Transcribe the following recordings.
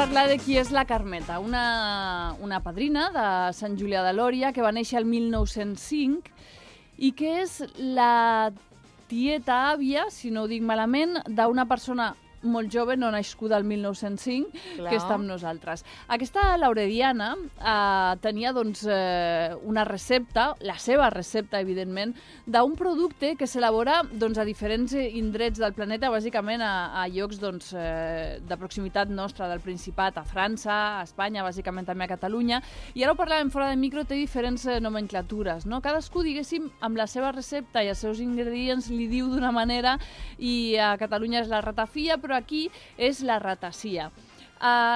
parlar de qui és la Carmeta, una padrina de Sant Julià de Lòria que va néixer el 1905 i que és la tieta àvia, si no ho dic malament, d'una persona molt jove, no nascuda el 1905, que està amb nosaltres. Aquesta Laurediana tenia doncs, una recepta, la seva recepta, evidentment, d'un producte que s'elabora doncs, a diferents indrets del planeta, bàsicament a llocs doncs, de proximitat nostra, del Principat, a França, a Espanya, bàsicament també a Catalunya, i ara ho parlàvem fora de micro, té diferents nomenclatures, no? Cadascú, diguéssim, amb la seva recepta i els seus ingredients li diu d'una manera, i a Catalunya és la ratafia, però aquí és la ratacía.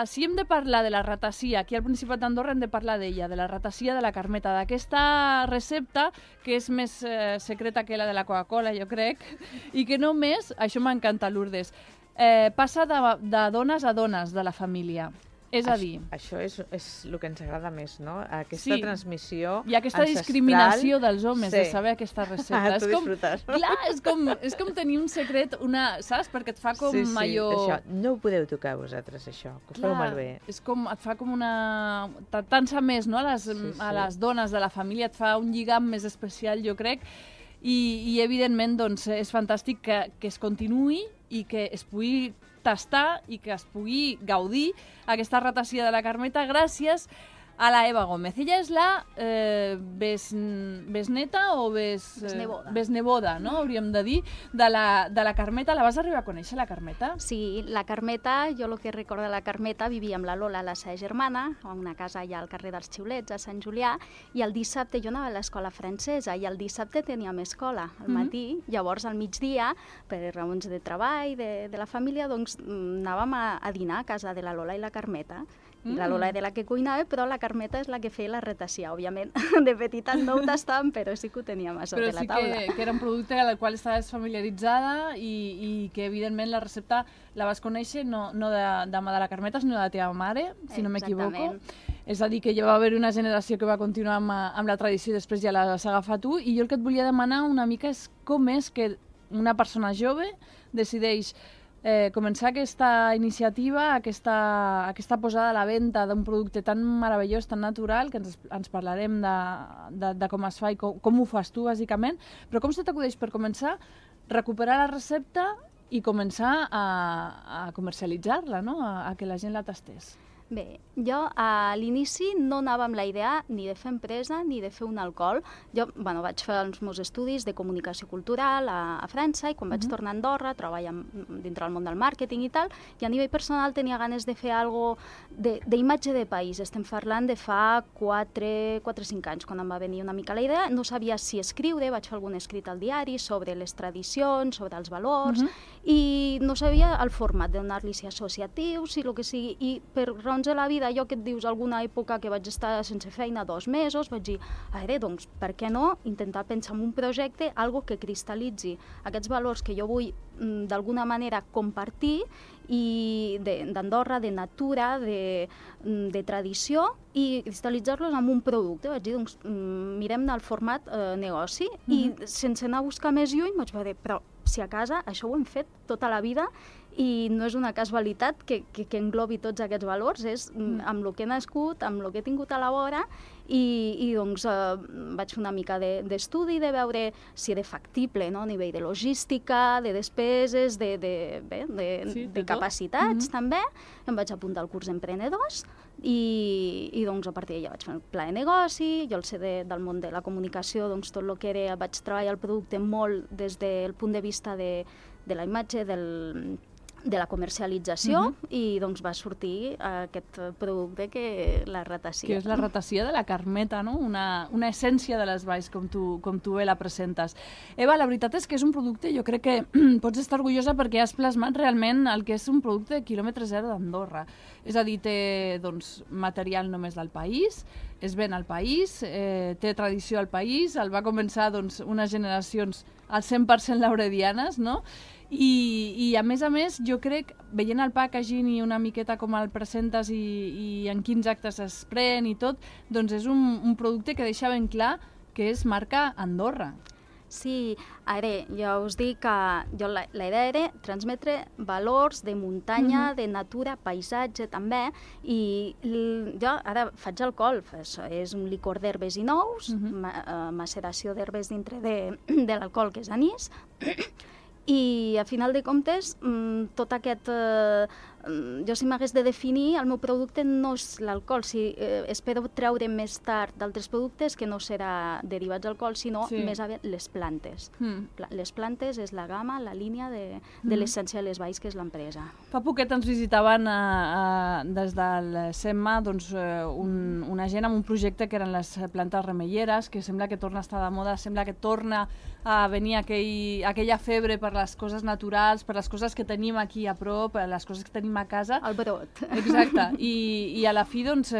Si hem de parlar de la ratacía, aquí al Principat d'Andorra hem de parlar d'ella, de la ratacía de la Carmeta, d'aquesta recepta que és més secreta que la de la Coca-Cola, jo crec, i que només, això m'encanta, Lourdes, passa de dones a dones de la família. És a dir... Això és el que ens agrada més, no? Aquesta transmissió ancestral. I aquesta discriminació dels homes, de saber aquesta recepta. Tu disfrutes. Clar, és com tenir un secret, saps? Perquè et fa com allò... Això. No ho podeu tocar vosaltres, això, que ho feu malbé. És com, et fa com una... T'atansa més, no? A les dones de la família, et fa un lligam més especial, jo crec, i evidentment, doncs, és fantàstic que es continuï i que es pugui tastar i que es pugui gaudir aquesta ratacía de la Carmeta gràcies a la Eva Gómez. Ella és la besneta o besneboda, no? Hauríem de dir, de la Carmeta. La vas arribar a conèixer, la Carmeta? Sí, la Carmeta, jo el que recordo de la Carmeta, vivia amb la Lola, la seva germana, a una casa allà al carrer dels Xiulets, a Sant Julià, i el dissabte jo anava a l'escola francesa, i el dissabte teníem escola al matí, llavors al migdia, per raons de treball, de la família, doncs anàvem a dinar a casa de la Lola i la Carmeta. I la Lola era la que cuinava, però la Carmeta és la que feia la ratacía. Òbviament, de petita no ho tastàvem, però sí que ho teníem a sota la taula. Però sí que era un producte amb el qual estaves familiaritzada i que, evidentment, la recepta la vas conèixer no de mà de la Carmeta, sinó de la teva mare, si no m'equivoco. És a dir, que ja va haver una generació que va continuar amb la tradició i després ja l'has agafat tu. I jo el que et volia demanar una mica és com és que una persona jove decideix començar aquesta iniciativa, aquesta posada a la venda d'un producte tan meravellós, tan natural, que ens parlarem de com es fa i com ho fas tu, bàsicament, però com se t'acudeix per començar recuperar la recepta i començar a comercialitzar-la, no? A que la gent la tastés? Bé, jo a l'inici no anava amb la idea ni de fer empresa ni de fer un alcohol. Jo vaig fer els meus estudis de comunicació cultural a França i quan vaig tornar a Andorra, treballar dintre del món del màrqueting i tal, i a nivell personal tenia ganes de fer alguna cosa d'imatge de país. Estem parlant de fa 4 o 5 anys, quan em va venir una mica la idea. No sabia si escriure, vaig fer algun escrit al diari sobre les tradicions, sobre els valors, i no sabia el format, de donar-li si associatiu, si el que sigui, i per raons de la vida, allò que et dius, alguna època que vaig estar sense feina 2 mesos, vaig dir, doncs, per què no intentar pensar en un projecte, algo que cristal·litzi aquests valors que jo vull d'alguna manera compartir i d'Andorra, de natura, de tradició, i cristal·litzar-los en un producte. Vaig dir, doncs, mirem el format negoci, i sense anar a buscar més lluny vaig dir, però si a casa això ho hem fet tota la vida i no és una casualitat que englobi tots aquests valors, és amb el que he nascut, amb el que he tingut a la vora, i doncs vaig fer una mica d'estudi, de veure si era factible, a nivell de logística, de despeses, de capacitats també. Em vaig apuntar al curs d'emprenedors i doncs a partir d'allà vaig fer el pla de negoci. Jo el sé del món de la comunicació, doncs tot el que era, vaig treballar el producte molt des del punt de vista de la imatge, de la comercialització, i doncs va sortir aquest producte que la ratacía. Que és la ratacía de la Carmeta, no? Una essència de les valls, com tu bé la presentes. Eva, la veritat és que és un producte, jo crec que pots estar orgullosa perquè has plasmat realment el que és un producte de quilòmetre zero d'Andorra. És a dir, té material només del país, es ven al país, té tradició al país, el va començar unes generacions al 100% lauredianes, no? I a més, jo crec, veient el packaging i una miqueta com el presentes i en quins actes es pren i tot, doncs és un producte que deixa ben clar que és marca Andorra. Sí, ara, jo us dic que la idea era transmetre valors de muntanya, de natura, paisatge també, i jo ara faig alcohol, és un licor d'herbes i nous, maceració d'herbes dintre de l'alcohol, que és anís, i a final de comptes, tot aquest... Jo si m'hagués de definir, el meu producte no és l'alcohol, espero treure més tard d'altres productes que no serà derivats d'alcohol, sinó més aviat les plantes. Les plantes és la gamma, la línia de l'essència de les valls, que és l'empresa. Fa poquet ens visitaven des del SEMMA una gent amb un projecte que eren les plantes remeieres, que sembla que torna a estar de moda, sembla que torna a venir aquella febre per les coses naturals, per les coses que tenim aquí a prop, les coses que tenim a casa. El brot. Exacte. I a la fi, doncs,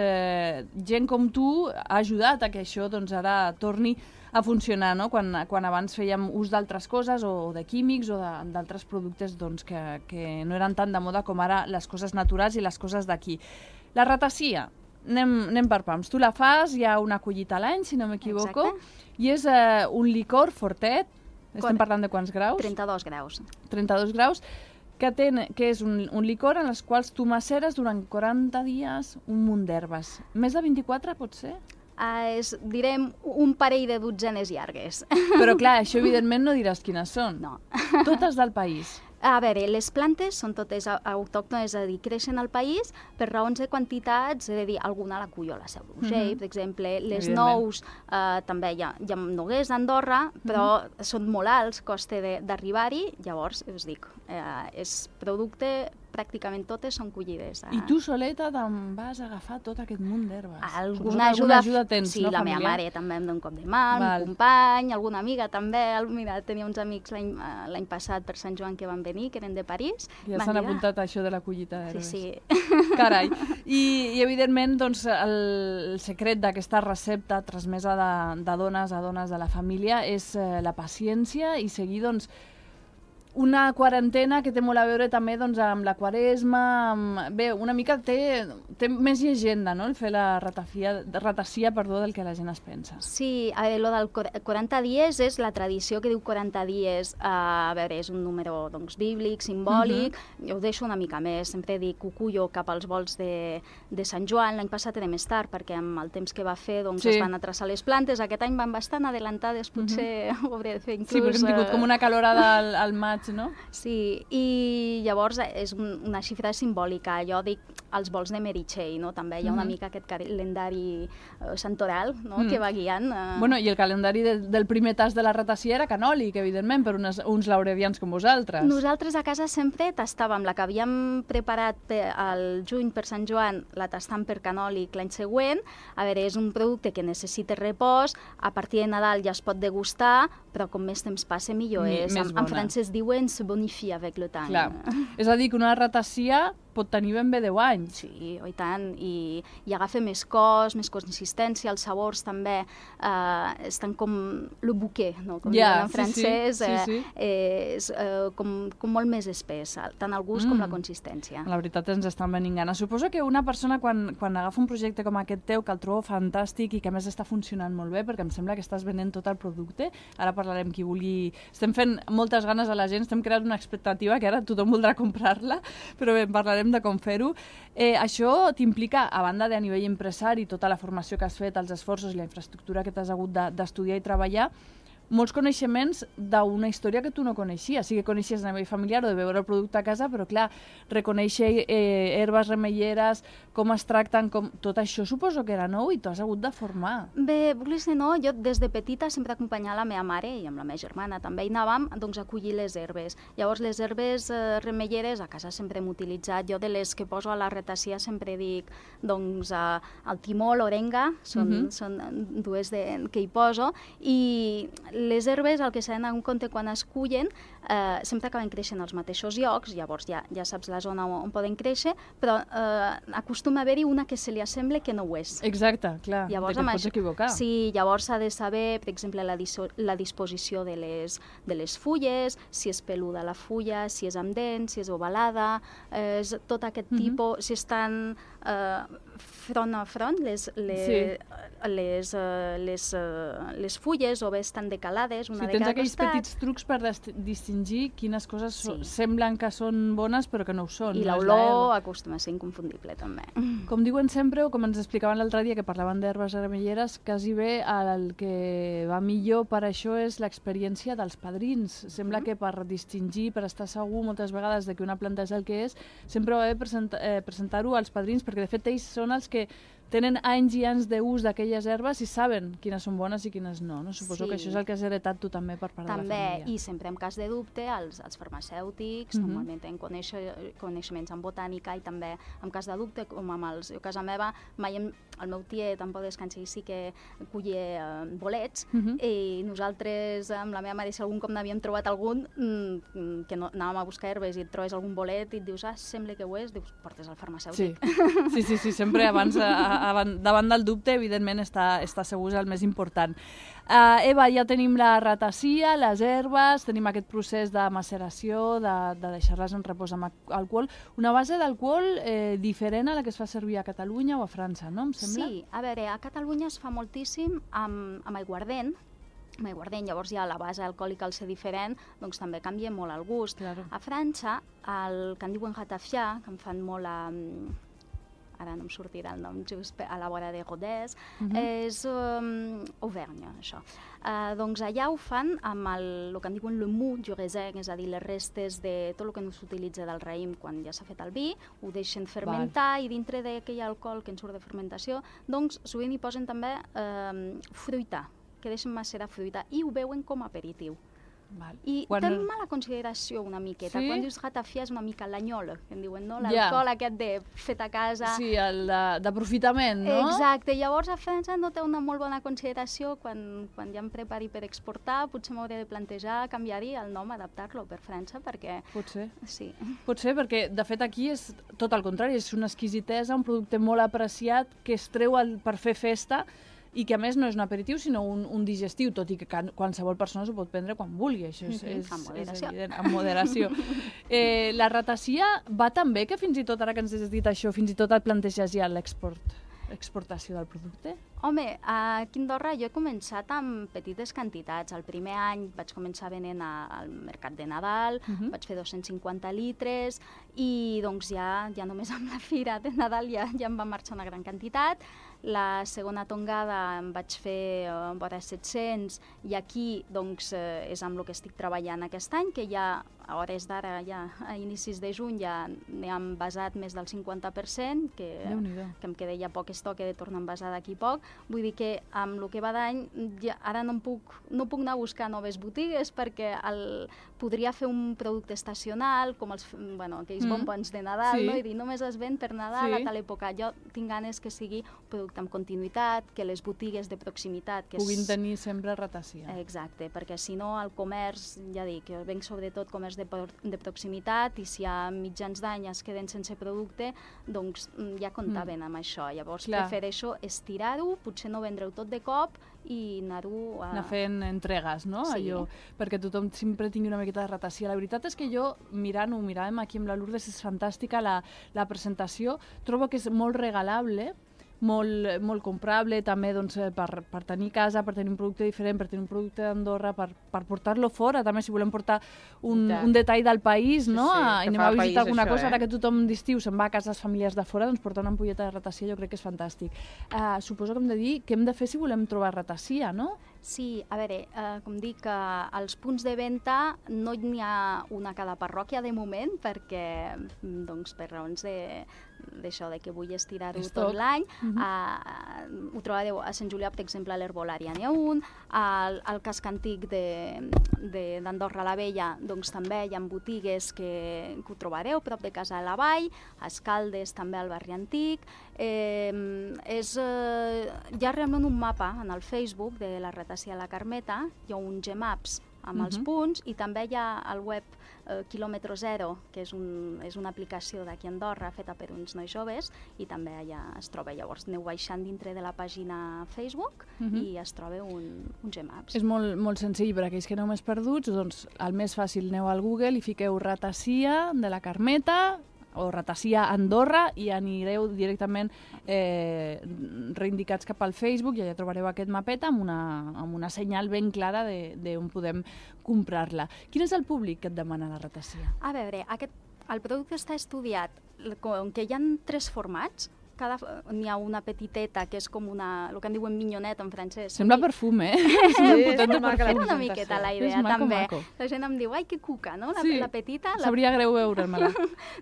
gent com tu ha ajudat a que això ara torni a funcionar, no? Quan abans fèiem ús d'altres coses o de químics o d'altres productes que no eren tan de moda com ara les coses naturals i les coses d'aquí. La ratassia, anem per pams. Tu la fas, hi ha una collita a l'any, si no m'equivoco, i és un licor fortet, estem parlant de quants graus? 32 graus. 32 graus, que és un licor en els quals tu maceres durant 40 dies un munt d'herbes. Més de 24 pot ser? Direm un parell de dotzenes llargues. Però clar, això evidentment no diràs quines són. No. Totes del país. A veure, les plantes són totes autòctones, és a dir, creixen al país per raons de quantitats, és a dir, alguna la cull a la Seu d'Urgell, per exemple, les nous, també hi ha noguers a Andorra, però són molt alts, costa d'arribar-hi, llavors, us dic, és producte, pràcticament totes són collides. I tu soleta te'n vas agafar tot aquest munt d'herbes? Alguna ajuda tens, sí, no, la meva mare també em dona un cop de mà, un company, alguna amiga també. Mira, tenia uns amics l'any passat per Sant Joan que van venir, que eren de París. Ja s'han apuntat a això de la collita d'herbes. Sí. Carai. I evidentment, doncs, el secret d'aquesta recepta transmesa de dones a dones de la família és la paciència i seguir, doncs, una quarantena que té molt a veure també amb la Quaresma. Bé, una mica té més llegenda, no?, el fer la ratassia del que la gent es pensa. Sí, a veure, el del 40 dies és la tradició que diu 40 dies. A veure, és un número bíblic, simbòlic. Jo ho deixo una mica més. Sempre dic, ho cullo cap als volts de Sant Joan. L'any passat era més tard, perquè amb el temps que va fer es van atrasar les plantes. Aquest any van bastant adelantades, potser ho hauré de fer inclús... Sí, perquè hem tingut com una calorada al maig, no? Sí, i llavors és una xifra simbòlica. Jo dic els vols de Meritxell, no? També hi ha una mica aquest calendari santoral, no?, que va guiant. Bueno, i el calendari del primer tast de la ratassia era canòlic, evidentment, per uns lauredians com vosaltres. Nosaltres a casa sempre tastàvem la que havíem preparat al juny per Sant Joan, la tastam per canòlic l'any següent. A veure, és un producte que necessita repòs, a partir de Nadal ja es pot degustar, però com més temps passa millor és. En francès diuen se bonifie avec le temps. Clar. És a dir, que una ratassia pot tenir ben bé 10 anys. Sí, i tant, i agafa més cos, més consistència, els sabors també estan com le bouquet, no? Com diuen en francès, és com molt més espès, tant el gust com la consistència. La veritat ens estan venint ganes. Suposo que una persona quan agafa un projecte com aquest teu, que el trobo fantàstic i que a més està funcionant molt bé, perquè em sembla que estàs venent tot el producte, ara parlarem qui vulgui... Estem fent moltes ganes a la gent, estem creant una expectativa que ara tothom voldrà comprar-la, però bé, parlarem de com fer-ho. Això t'implica, a banda de a nivell empresari, tota la formació que has fet, els esforços i la infraestructura que t'has hagut d'estudiar i treballar, molts coneixements d'una història que tu no coneixies. Sí que coneixies a nivell familiar o de veure el producte a casa, però clar, reconèixer herbes remeieres, com es tracten, tot això suposo que era nou i t'has hagut de formar. Bé, vulguis dir no, jo des de petita sempre acompanyava la meva mare i amb la meva germana també hi anàvem a collir les herbes. Llavors les herbes remeieres a casa sempre hem utilitzat. Jo de les que poso a la ratassia sempre dic el timó, l'orenga, són dues que hi poso, i les herbes, el que s'ha d'anar en compte quan es cullen, sempre acaben creixent als mateixos llocs, llavors ja saps la zona on poden créixer, però acostuma a haver-hi una que se li assembla que no ho és. Exacte, clar, llavors, que et pots equivocar. Sí, llavors s'ha de saber, per exemple, la disposició de les fulles, si és peluda la fulla, si és amb dents, si és ovalada, tot aquest tipus, si estan front a front, les fulles o bé estan decalades una de tens cada aquells costat. petits trucs per distingir quines coses semblen que són bones però que no ho són. I l'olor acostuma a ser inconfundible també. Com diuen sempre, o com ens explicaven l'altre dia que parlaven d'herbes armelleres, quasi bé el que va millor per això és l'experiència dels padrins. Sembla que per distingir, per estar segur moltes vegades de que una planta és el que és, sempre va bé presentar-ho als padrins, perquè de fet ells són els que tenen anys i anys d'ús d'aquelles herbes i saben quines són bones i quines no. Suposo que això és el que has heretat tu també per part de la família. També, i sempre en cas de dubte, els farmacèutics normalment tenen coneixements en botànica i també en cas de dubte, com amb els... A casa meva, mai el meu tiet, en pau descansar, sí que collia bolets i nosaltres, amb la meva mare, si algun cop n'havíem trobat algun, que no, anàvem a buscar herbes i et trobes algun bolet i et dius, sembla que ho és, dius, portes al farmacèutic. Sí, sempre abans... davant del dubte, evidentment, estar segur és el més important. Eva, ja tenim la ratacia, les herbes, tenim aquest procés de maceració, de deixar-les en repòs amb alcohol. Una base d'alcohol diferent a la que es fa servir a Catalunya o a França, no? Em sembla? Sí, a veure, a Catalunya es fa moltíssim amb aiguardent, llavors ja la base alcohòlica al ser diferent, doncs també canvia molt el gust. Claro. A França, el que en diuen ratafia, que en fan molt ara no em sortirà el nom just a la vora de Rodez, és Auvergne, això. Doncs allà ho fan amb el que en diuen le mou du raisin, és a dir, les restes de tot el que no s'utilitza del raïm quan ja s'ha fet el vi, ho deixen fermentar i dintre d'aquell alcohol que en surt de fermentació, doncs sovint hi posen també fruita, que deixen macerar fruita i ho beuen com a aperitiu. I té mala consideració una miqueta. Quan dius ratafia és una mica l'anyol, que en diuen, no? L'alcohol aquest de fet a casa. Sí, el d'aprofitament, no? Exacte. Llavors a França no té una molt bona consideració. Quan ja em prepari per exportar, potser m'hauré de plantejar canviar-hi el nom, adaptar-lo per França, perquè... Potser. Sí. Potser, perquè de fet aquí és tot el contrari, és una exquisitesa, un producte molt apreciat que es treu per fer festa i que a més no és un aperitiu sinó un digestiu, tot i que qualsevol persona s'ho pot prendre quan vulgui, això és evident, amb moderació. La ratacia va tan bé que fins i tot, ara que ens has dit això, fins i tot et planteges ja l'exportació del producte? Home, aquí a Andorra jo he començat amb petites quantitats. El primer any vaig començar venent al mercat de Nadal, vaig fer 250 litres i doncs ja només amb la fira de Nadal ja em va marxar una gran quantitat. La segona tongada em vaig fer vora 700 i aquí doncs, és amb el que estic treballant aquest any, que ja a hores d'ara, ja a inicis de juny, ja n'he envasat més del 50%, que em queda ja poc estoc, he de tornar a envasar d'aquí poc. Vull dir que amb el que va d'any ara no puc anar a buscar noves botigues perquè podria fer un producte estacional, com aquells bombons de Nadal, no? I dir, només es ven per Nadal a tal època. Jo tinc ganes que sigui un producte amb continuïtat, que les botigues de proximitat... puguin tenir sempre ratacia. Exacte, perquè si no el comerç, ja dic, venc sobretot comerç de proximitat i si a mitjans d'any es queden sense producte, doncs ja comptaven amb això. Llavors prefereixo estirar-ho, potser no vendre-ho tot de cop i anar-ho anar fent entregues, no? Sí. Allò, perquè tothom sempre tingui una miqueta de ratacia. La veritat és que jo, miràvem aquí amb la Lourdes, és fantàstica la presentació. Trobo que és molt regalable, molt comprable, també doncs, per tenir casa, per tenir un producte diferent, per tenir un producte d'Andorra, per portar-lo fora, també si volem portar un detall del país, no? I anem a visitar alguna cosa, ara que tothom d'estiu se'n va a casa les famílies de fora, doncs portar una ampolleta de ratacia jo crec que és fantàstic. Suposo que hem de dir què hem de fer si volem trobar ratacia, no? Sí, a veure, com dic, als punts de venda no n'hi ha una a cada parròquia de moment, perquè, doncs, per raons d'això, de que vull estirar-ho tot l'any. Ho trobareu a Sant Julià, per exemple, a l'Herbolària n'hi ha un, al casc antic d'Andorra la Vella, doncs també hi ha botigues que ho trobareu prop de Casa de la Vall, a Escaldes també al barri antic. Hi ha realment un mapa en el Facebook de la ratacia a la Carmeta, hi ha un Gmaps amb els punts i també hi ha el web Kilòmetre Zero, que és una aplicació d'aquí a Andorra feta per uns nois joves i també allà es troba. Llavors aneu baixant dintre de la pàgina Facebook i es troba un Gmaps. És molt senzill per aquells que aneu més perduts, doncs el més fàcil, aneu al Google i fiqueu ratacia de la Carmeta, o Rataccia Andorra, i anireu directament reindicats cap al Facebook i allà trobareu aquest mapeta amb una senyal ben clara d'on podem comprar-la. Quin és el públic que et demana la Rataccia? A veure, el producte està estudiat, com que hi ha 3 formats, n'hi ha una petiteta que és com el que en diuen minyonet en francès. Sembla perfum, eh? Era una miqueta la idea, també. La gent em diu, ai, que cuca, no? La petita. Sabria greu veure-me-la.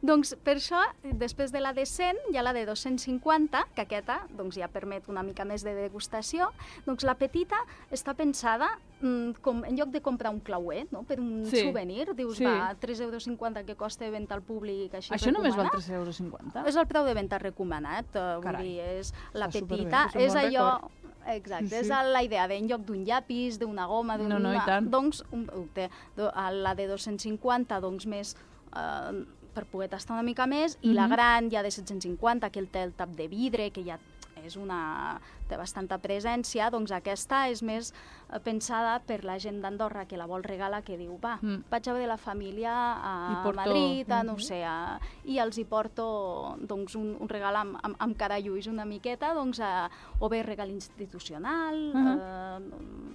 Doncs per això, després de la de 100, hi ha la de 250, que aquesta ja permet una mica més de degustació. Doncs la petita està pensada en lloc de comprar un clauer, per un souvenir, dius, va, 3,50 € que costa de venda al públic, així recomanat. Això només val 3,50 €? És el preu de venda recomanat, vull dir, és la petita, és allò... Exacte, és la idea en lloc d'un llapis, d'una goma, doncs un producte. La de 250, doncs més per poder tastar una mica més, i la gran ja de 750, que té el tap de vidre, que ja té bastanta presència, doncs aquesta és més pensada per la gent d'Andorra que la vol regalar, que diu, va, vaig a veure la família a Madrid, no ho sé, i els hi porto un regal amb caralluix una miqueta, o bé regal institucional...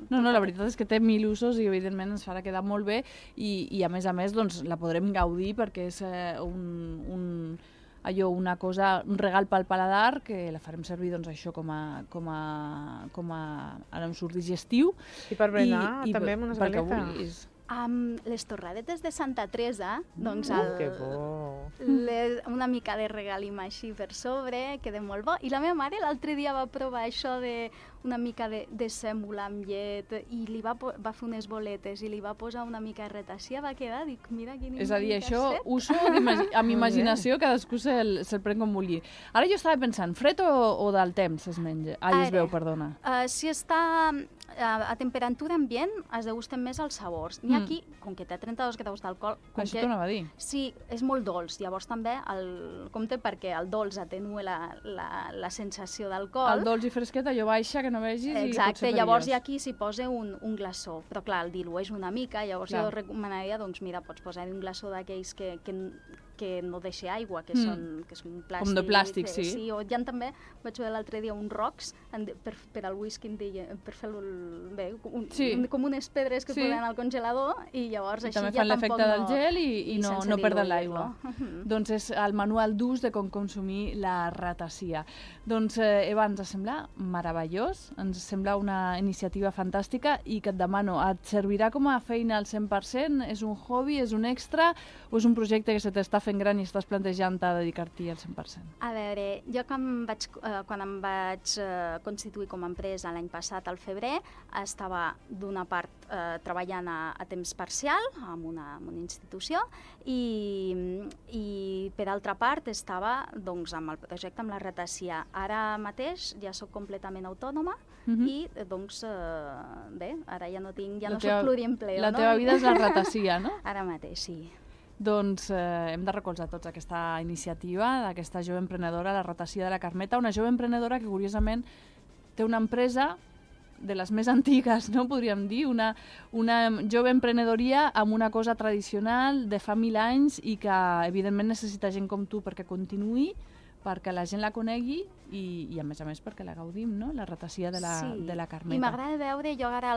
No, la veritat és que té 1000 usos i evidentment ens farà quedar molt bé i a més la podrem gaudir perquè és un regal pel paladar, que la farem servir això com a ara em surt digestiu. I per berenar també amb unes galetes. Amb les torradetes de Santa Teresa, que bo! Una mica de regalim així per sobre, queda molt bo. I la meva mare l'altre dia va provar això una mica de sèmola amb llet i va fer unes boletes i li va posar una mica de Rataccia, va quedar, dic, mira quin... És a dir, això, uso amb imaginació, cadascú se'l pren com vulgui. Ara jo estava pensant, fred o del temps es menja? Es veu, perdona. Si està a temperatura ambient, es degusten més els sabors. N'hi ha aquí, com que té 32 graus d'alcohol... Això t'ho anava a dir. Sí, és molt dolç. Llavors també, compte perquè el dolç atenua la sensació d'alcohol. El dolç i fresquet, allò baixa, que no vegis, i exacte, llavors aquí s'hi posa un glaçó, però clar, el dilueix una mica, llavors jo recomanaria, mira, pots posar un glaçó d'aquells que no deixa aigua, que són plàstic. Com de plàstic, sí. Sí, o hi ha també, vaig veure l'altre dia, un rocks per al whisky, per fer-lo bé, com unes pedres que poden al congelador, i llavors així ja tampoc no... També fan l'efecte del gel i no perden l'aigua. Doncs és el manual d'ús de com consumir la Rataccia. Doncs, Eva, ens sembla meravellós, ens sembla una iniciativa fantàstica i que et demano, et servirà com a feina al 100%? És un hobby, és un extra o és un projecte que se t'està fent gran i estàs plantejant a dedicar-t'hi al 100%? A veure, jo quan em vaig constituir com a empresa l'any passat, al febrer, estava d'una part treballant a temps parcial en una institució i per altra part estava amb el projecte amb la Rataccia. Ara mateix ja soc completament autònoma i bé, ara ja no soc pluriempleo. La teva vida és la Rataccia, no? Ara mateix, sí. Doncs hem de recolzar tots aquesta iniciativa d'aquesta jove emprenedora, la Rataccia de la Carmeta, una jove emprenedora que curiosament té una empresa de les més antigues, no podríem dir, una jove emprenedoria amb una cosa tradicional de fa 1000 anys i que evidentment necessita gent com tu perquè continuï, perquè la gent la conegui i a més perquè la gaudim, no? La Rataccia de la Carmeta. I m'agrada veure, jo ara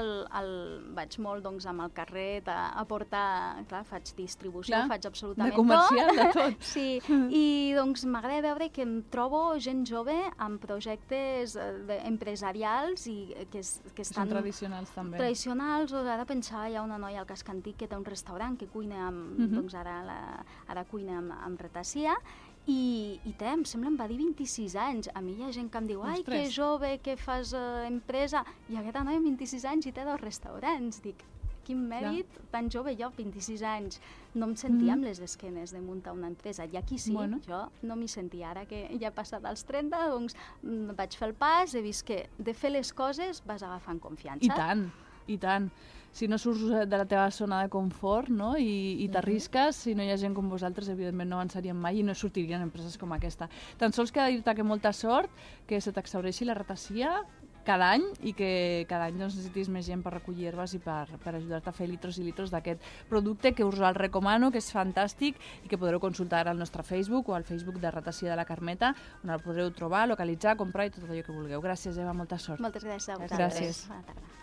vaig molt amb el carret a portar, clar, faig distribució, faig absolutament tot. De comercial, de tot. Sí, i m'agrada veure que em trobo gent jove amb projectes empresarials i que estan... Són tradicionals també. Tradicionals, ara pensava, hi ha una noia al Casc Antic que té un restaurant que cuina ara cuina amb Rataccia i em sembla, em va dir 26 anys. A mi hi ha gent que em diu, ai, que jove, que fas empresa. I aquesta noia amb 26 anys i té 2 restaurants. Dic, quin mèrit, tan jove jo, 26 anys. No em sentia amb les esquenes de muntar una empresa. I aquí sí, jo no m'hi sentia. Ara que ja he passat als 30, doncs vaig fer el pas, he vist que de fer les coses vas agafant confiança. I tant. Si no surts de la teva zona de confort, no? I t'arrisques, si no hi ha gent com vosaltres, evidentment no avançaríem mai i no sortirien empreses com aquesta. Tan sols queda dir-te que molta sort, que se t'exhaureixi la Rataccia, cada any i que cada any necessitis més gent per recollir herbes i per ajudar-te a fer litros i litros d'aquest producte que us el recomano, que és fantàstic i que podreu consultar al nostre Facebook o al Facebook de Ratafia de la Carmeta, on el podreu trobar, localitzar, comprar i tot allò que vulgueu. Gràcies, Eva, molta sort. Moltes gràcies a vosaltres. Gràcies. Bona tarda.